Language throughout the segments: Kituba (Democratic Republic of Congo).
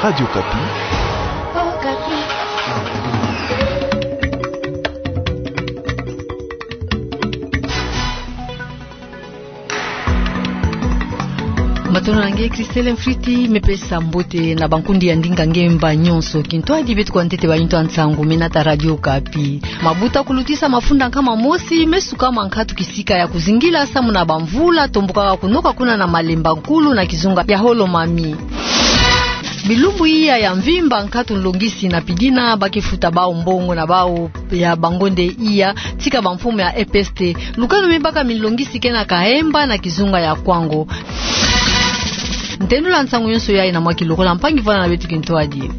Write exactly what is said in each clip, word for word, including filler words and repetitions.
Radio Okapi. Matondo na nge, Christelle Mfriti, me pesa mbote na bankundi ya ndinga ngemba nyonso. Kintwadi beto kwa ntete ba yinto ya nsangu me nata Radio Okapi. Mabuta kulutisa mafunda nkama mosi me sukama nkatu kisika ya kuzingila samu na bamvula tombokaka kunoka kuna na Malemba Nkulu na kizunga ya Holomami. Bilumbu iya ya mvimba nkatu nlongisi na pidina ba ke futa bau mbongo na bau ya bangonde iya tika bamfumu ya E P S T. Lukanu me baka minlongisi ke na Kahemba na kizunga ya Kwango. Ntendula nsangu yonso yayi na mwa kilokola, mpangi vwanda na beto kintwadi.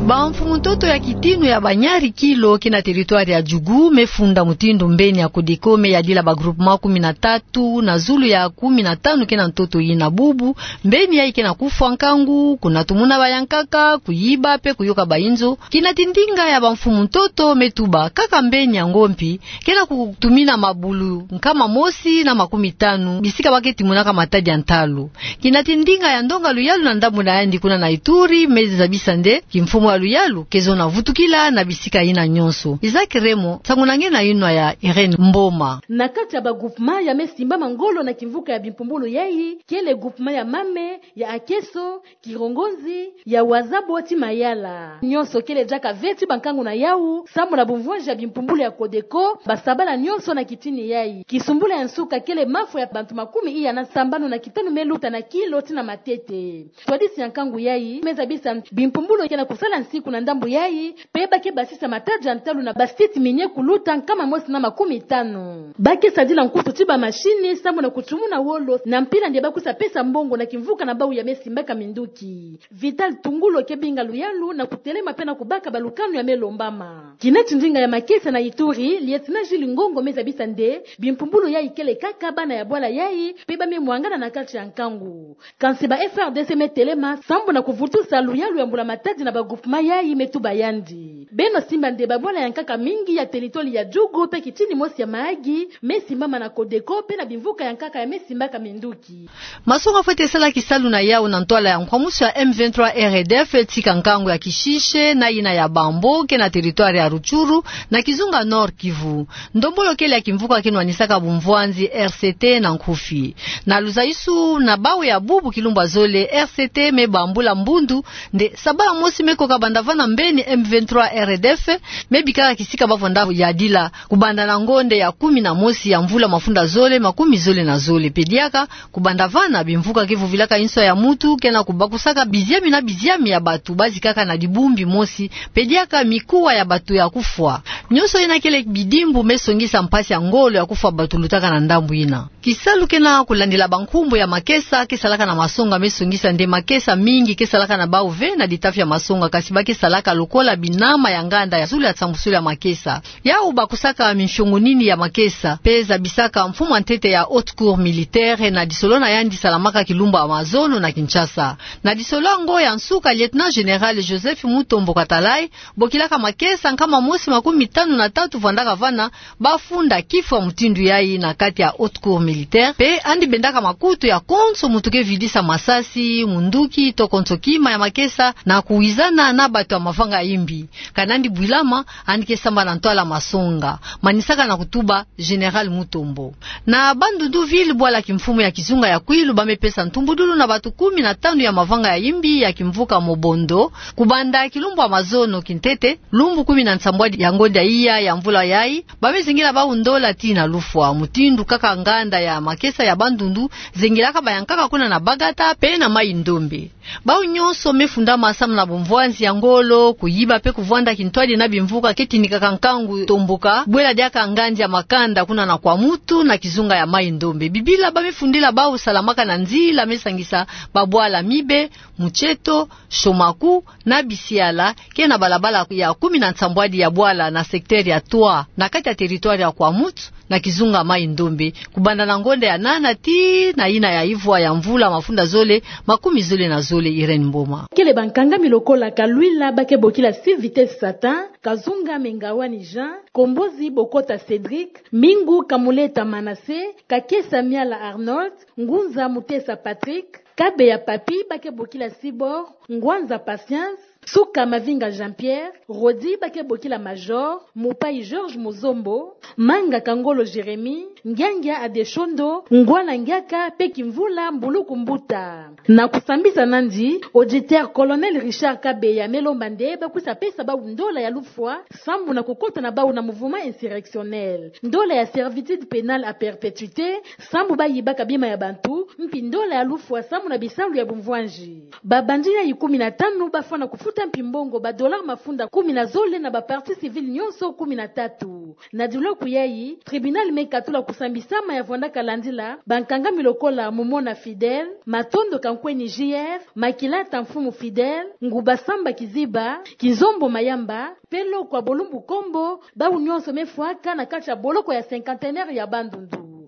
Bamfumu ntoto ya kitinu ya banyari kilo ke na territoire ya Djugu me funda mutindu mbeni ya Codeco me yadila ba groupement kumi na tatu na zulu ya kumi na tanu ke na ntoto yina bubu. Mbeni yayi ke na kufwa nkangu, kunatumuna bayankaka, kuyiba pe kuyoka bayinzo. Kinati ndinga ya bamfumu ntoto me tuba kaka mbeni ya ngompi ke na kutumina mabulu nkama mosi na makumi tanu bisika ba ke timunaka matadi ya ntalu. Kinati ndinga ya ndonga luyalu na ndambu na yandi kuna na Ituri me zabisa nde kimfumu ya luyalu ke zo na vutukila na bisika yina nyonso. Isaac Remo, nsangu na nge na yinwa ya Irène Mboma. Na kati ya ba groupement ya me simbama ngolo na kimvuka ya bimpumbulu yayi, kele groupement ya Mame, ya Akeso, Kirongonzi, ya Wazabo ti Mayala. Nyonso kele diaka ve ti bankangu na yawu, samu na bumvwanzi ya bimpumbulu ya Codeco, ba sabala nyonso na kitini yayi. Kisumbula ya nsuka kele mafwa ya bantu makumi iya na sambanu na kitanu me luta na kilo ti na matete. Twadisi ya nkangu yayi me zabisa bimpumbulu ke na kusala nsiku na ndambu yayi, pe ba ke basisa matadi ya ntalu na ba site minier kuluta nkama mosi na makumi tanu. Ba ke sadila nkutu ti ba machine samu na kutumuna wolo na mpila nde ba kusa pesa mbongo na kimvuka na bau ya me simbaka minduki. Vital Tungulo ke binga luyalu na kutelema pe na kubaka balukanu ya me lombama. Kinati ndinga ya makesa na Ituri, Lieutenant Jules Ngongo me zabisa nde bimpumbulu yayi kele kaka bana ya bwala yayi, pe ba me mwangana na kati ya nkangu. Kansi ba F A R D C me telema sambu na kuvutusa luyalu ya mbula matadi na ba groupement yayi, me tuba yandi. Beno simba nde ba bwala ya nkaka mingi ya territoire ya Djugu pe kitini mosi ya Mahagi me simbama na Codeco pe na bimvuka ya nkaka ya me simbaka minduki. Masonga fwete sala kisalu na yawu na ntwala ya nkwamusu ya M vingt-trois R D F tika nkangu ya Kishishe na yina ya Bambo ke na territoire ya Rutshuru na kizunga Nord-Kivu. Ndombolo kele ya kimvuka ke nwanisaka bumvwanzi R C T na nkufi. Na luzaisu na bawu ya bubu kilumbu ya zole, R C T me bambula mbundu nde sabala mosi me koka banda vana mbeni M vingt-trois R D F me bikaka kisika ba vwanda yadila kubanda na ngonde ya kumi na mosi ya mvula mafunda zole makumi zole na zole. Pe diaka kubanda vana bimvuka ke vuvilaka inswa ya mutu ke na kubakusaka biziami na biziami ya batu ba zikaka na dibumbi mosi, pe diaka mikuwa ya batu ya kufwa. Nyonso yina kele bidimbu me songisa mpasi ya ngolo ya kufwa batu lutaka na ndambu yina. Kisalu ke na kulandila bankumbu ya makesa ke salaka na masonga me songisa nde makesa mingi ke salaka na bawu ve na ditafi ya masonga, kasi ba ke salaka lokola binama ya nganda ya zulu ya nsambusulu ya makesa. Yawu bakusaka mifiongo nini ya makesa, pe zabisaka mfumu ya ntete ya Haute Cour militaire na disolo na yandi salamaka kilumbu ya mazono na Kinshasa. Na disolo yango ya nsuka, Lieutenant Général Joseph Mutombo Katalay, bokilaka makesa nkama mosi makumi tanu na tatu vwandaka vana, ba funda kifwa mutindu yayi na kati ya Haute Cour militaire, pe yandi bendaka makutu ya konso mutu ke vidisa masasi, munduki, to konso kima ya makesa, na kuwizana na batu ya mavanga ya imbi. Kana yandi bwilama, yandi ke sambana ntwala masonga, manisaka na kutuba Général Mutombo. Na Bandundu ville, bwala kimfumu ya kizunga ya Kwilu, ba me pesa ntumbudulu na batu kumi na tanu ya mavanga ya imbi ya kimvuka Mobondo, kubanda kilumbu ya mazono kintete, lumbu kumi na nsambwadi ya ngonda iya ya mvula yayi, ba me zingila bawu ndola tii na lufwa, mutindu kaka nganda ya makesa ya Bandundu zingilaka bayankaka kuna na Bagata pe na Mayi-Ndombe. Bawu nyonso me fundama samu na bumvwanzi ya ngolo, kuyiba pe kuvwanda kintwadi na bimvuka ke tinikaka nkangu tomboka, bwela diaka ngandi ya makanda kuna na Kwamutu na kizunga ya Mayi-Ndombe. Bibila ba me fundila bawu salamaka na nzila me sangisa babwala Mibe, Mutcheto, Chomaku na Bisiala, ke na balabala ya kumi na nsambwadi ya bwala na secteur ya trois, na kati ya territoire ya Kwamutu, na kizunga Mayi-Ndombe, kubanda na ngonda ya nana tii na yina ya ivwa ya mvula mafunda zole makumi zole na zole. Irène Mboma. Kele bankangami lokola Kalwila ba ke bokila Six Vitesse Satan, Kazunga Mengawani Jean, Kombozi Bokota Cédric, Mingu Kamuleta Manassé, Kakesa Miala Arnold, Ngunza Mutesa Patrick, Kabeya Papy, ba ke bokila Cyborg, Ngwanza Patience, Suka Mavinga Jean-Pierre, Rodi, ba ke bokila Major, Mupayi George Muzombo, Manga Kangolo Jérémie, Ngiangia Adeshondo, Ngwana Ngiaka, pe Kimvula Mbuluku Mbuta. Na kusambisa nandi, auditeur Colonel Richard Kabeya me lomba nde ba kwisa pesa bawu ndola ya lufwa sambu na kukota na bawu na mouvement insurrectionnel, ndola ya servitude pénale à perpétuité sambu ba yibaka bima ya bantu, mpi ndola ya lufwa sambu na bisalu ya bumvwanji. Babandi yayi kumi na tanu ba fwana kufuta mpi mbongo ba dollars mafunda kumi na zole na ba parties civiles nyonso kumi na tatu. Na diloku yayi, tribunal me katula kusambisama ya vwandaka landila bankangami lokola Mumona Fidèle, Matondo Kankweni J F, Makilata Mfumu Fidèle, Nguba Samba Kiziba, Kizombo Mayamba, pe Lokwa Bolumbu Kombo, bawu nyonso me fwaka na kati ya boloko ya cinquantenaire ya Bandundu.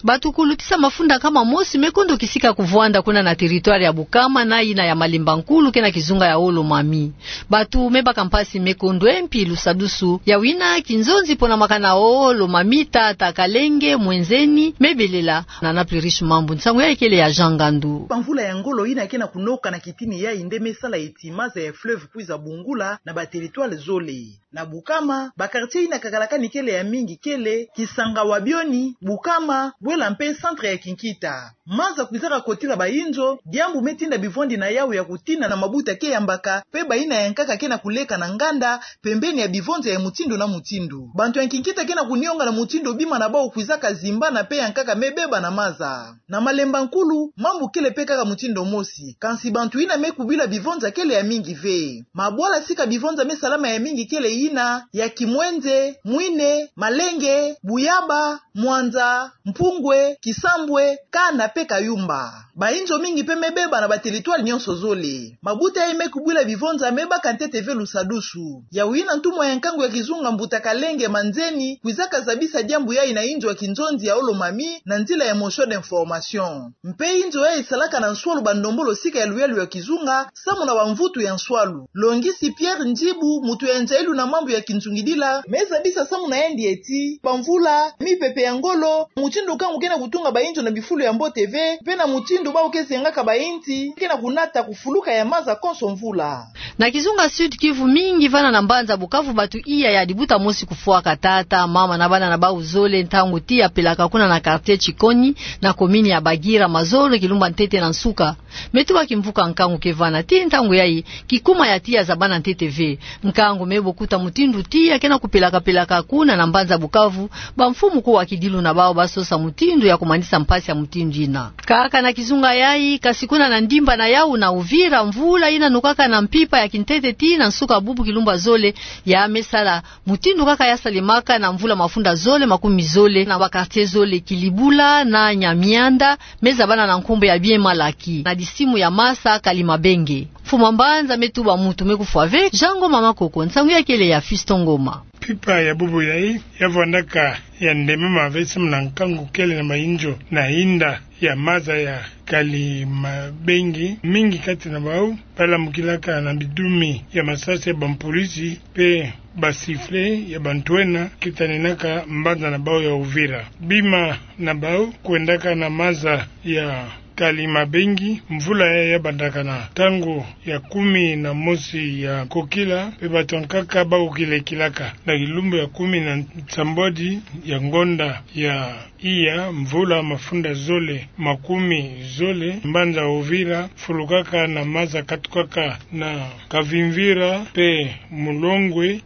Bato kulutisa mafunda nkama mosi me kondo kisika kuvwanda kuna na territoire ya Bukama na yina ya Malemba Nkulu ke na kizunga ya Haut-Lomami. Bato me baka mpasi me kondo e mpi lusadusu. Ya wina kinzonzi pona makana Haut-Lomami, Tata, Kalenge, Mwenzeni, me belela. Na Napli Riche Mambu, nsangu yayi kele ya Jean Ngandu. Bamvula ya ngolo yina ke na kunoka na kitini yayi nde me sala eti maza ya fleuve kwiza bungula na ba territoire zole. Na Bukama, ba quartier yina kakalakani kele ya mingi kele Kisanga wa Bioni, Bukama, Bwela mpe centre ya Kinkita. Maza kwizaka kotila bayinzo, diambu me tinda bivwandi na yawu ya kutina na mabuta ke yambaka, pe bayina yankaka ke na kuleka na nganda, pembeni ya bivonza ya mutindu na mutindu. Bantu ya Kinkita ke na kunionga na mutindu bima na bawu kwizaka zimbana pe yankaka me beba na maza. Na Malemba Nkulu, mambu kele pe kaka mutindu mosi. Kansi bantu yina me kubila bivonza kele ya mingi ve. Mabwala sika bivonza me salama ya mingi kele yina ya Kimwenze, Mwine, Malenge, Buyaba, Mwanza, Mpungwe, Kisambwe, Kana pe Kayumba. Bayinzo mingi pe me beba na ba territoire nyonso zole. Mabuta yayi me kubila bivonza me baka ntete ve lusadusu. Yawu yina ntumwa ya nkangu ya kizunga mbuta Kalenge Manzeni kwizaka zabisa diambu yayi na yinzo ya kinzonzi ya Haut-Lomami na nzila ya motion d'information. Mpe yinzo yayi salaka na nswalu bandombolo sika ya luyalu ya kizunga, samu na bamvutu ya nswalu. Longisi Pierre Njibu, mutu ya nzayilu na mambu ya kinzungidila, me zabisa samu na yandi eti, bamvula, mipepe ya ngolo, mutindu nkangu ke na kutunga bayinzo na bifulu ya mbote ve, mpe na mutindu bawu ke zengaka bayinti ke na kunata kufuluka ya maza konso mvula. Na kizunga Sud-Kivu, mingi vana na mbanza Bukavu bato iya ya dibuta mosi kufwaka. Tata, mama na bana na bawu zole, ntangu tiya pelaka kuna na quartier Chikonyi, na commune ya Bagira, mazolo kilumba ntete na nsuka. Me tuba kimvuka nkangu ke vana, ti ntangu yayi, kikuma ya tiya zabana ntete ve. Nkangu me bokuta mutindu tiya ke na kupelaka-pelaka kuna na mbanza Bukavu, bamfumu ko wa kidilu na bawu basosa mutindu ya kumanisa mpasi ya mutindu yina. Kaka na kizunga yayi, kasi kuna na ndimba na yawu na Uvira, mvula yina nukaka na mpimpa ya kintete tii na nsuka bubu kilumba zole, ya me sala mutindu kaka ya salemaka na mvula mafunda zole makumi zole na ba quartier zole, Kilibula na Nyamianda, me zabana na nkumbu ya Bien Malaki, na disimu ya Masa Kalimabenge. Mfumu a mbanza me tuba mutu me kufwa ve. Jean Ngoma Makoko, nsangu yayi kele ya Fiston Ngoma. Mpimpa ya bubu yayi ya vwandaka ya ndemama ve samu na nkangu kele na mayinzo na yinda ya maza ya Kalimabenge. Mingi kati na bawu balamukilaka na bidumi ya masasi ya bampolisi mpe ba sifflet ya bantwenya ke taninaka mbanza na bawu ya Uvira. Bima na bawu kwendaka na maza ya Kalimabenge, mvula yayi ya bandaka na ntangu ya kumi na mosi ya kokila, mpe bato nkaka bawu kilekilaka na kilumbu ya kumi na nsambwadi ya ngonda ya iya, mvula mafunda zole makumi zole, mbanza Uvira fulukaka na maza, katukaka na Kavimvira mpe Mulongwe.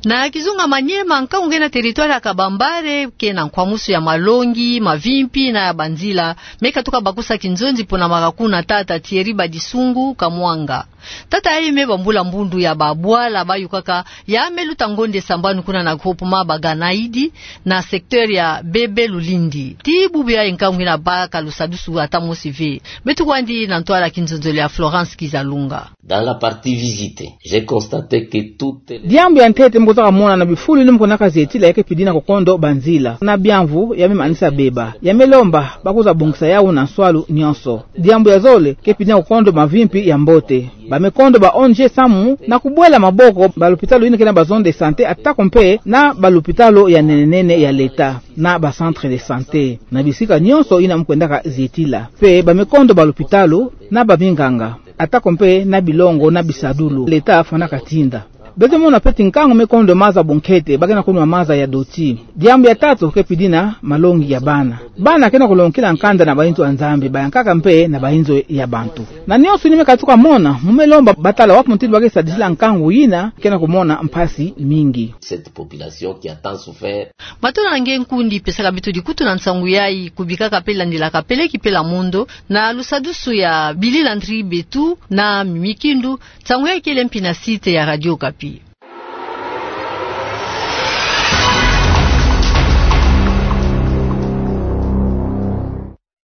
Na kizunga Maniema, nkangu ke na territoire ya Kabambare ke na nkwamusu ya malongi, mavimpi na ya banzila, me katuka bakusa kinzonzi pona makaka kuna. Tata Thierry Badisungu Kamwanga, tata yayi me bambula mbundu ya babwala bayukaka, ya me luta ngonde sambanu kuna na groupement Baganaidi, na secteur ya Bebe Lulindi. Ti bubu yayi nkangu yina baka lusadusu ata mosi ve. Me tukwandi na ntwala kinzonzolo ya Florence Kizalunga. Dans la partie visitée, j'ai constaté que toutes les... Diambu ya ntete mu kwiza kamona na bifulu yina mu konaka zetila, ya ke pidina kokondo banzila na biamvu ya me manisa beba. Ya me lomba bakwiza bongisa yawu na nswalu nyonso. Diambu ya zole, ke pidina kokondo mavimpi ya mbote. Bamekondo ba O N G samu na kubwela maboko balopitalo yina ke na ba zone de santé, atako mpe na balopitalo ya nene-nene ya leta, na ba centre de santé, na bisika nionso yina mukwendaka zietila. Mpe bamekondo balopitalo na baminganga, atako mpe na bilongo na bisadulu leta afwanaka tinda. Beto mona mpe ti nkangu mekondo maza bonkete, ba ke na kunwa maza ya doti. Diambu ya tatu ke pidi na malongi ya bana. Bana ke na kulongokila nkanda na bainzo ya Nzambi, bayankaka mpe na bainzo ya bantu. Na nionso yina me katuka mona, mu me lomba batala wapi mutindu ba ke sadisila nkangu yina ke na kumona mpasi mingi. Cette population qui a tant souffert. Matondo na nge nkundi pesaka beto dikutu na nsangu yayi, kubikaka mpe landilaka peleki pela mondo na lusadusu ya Billy Landry Betu na Mimi Kindu. Nsangu yayi kele mpi na site ya Radio Okapi.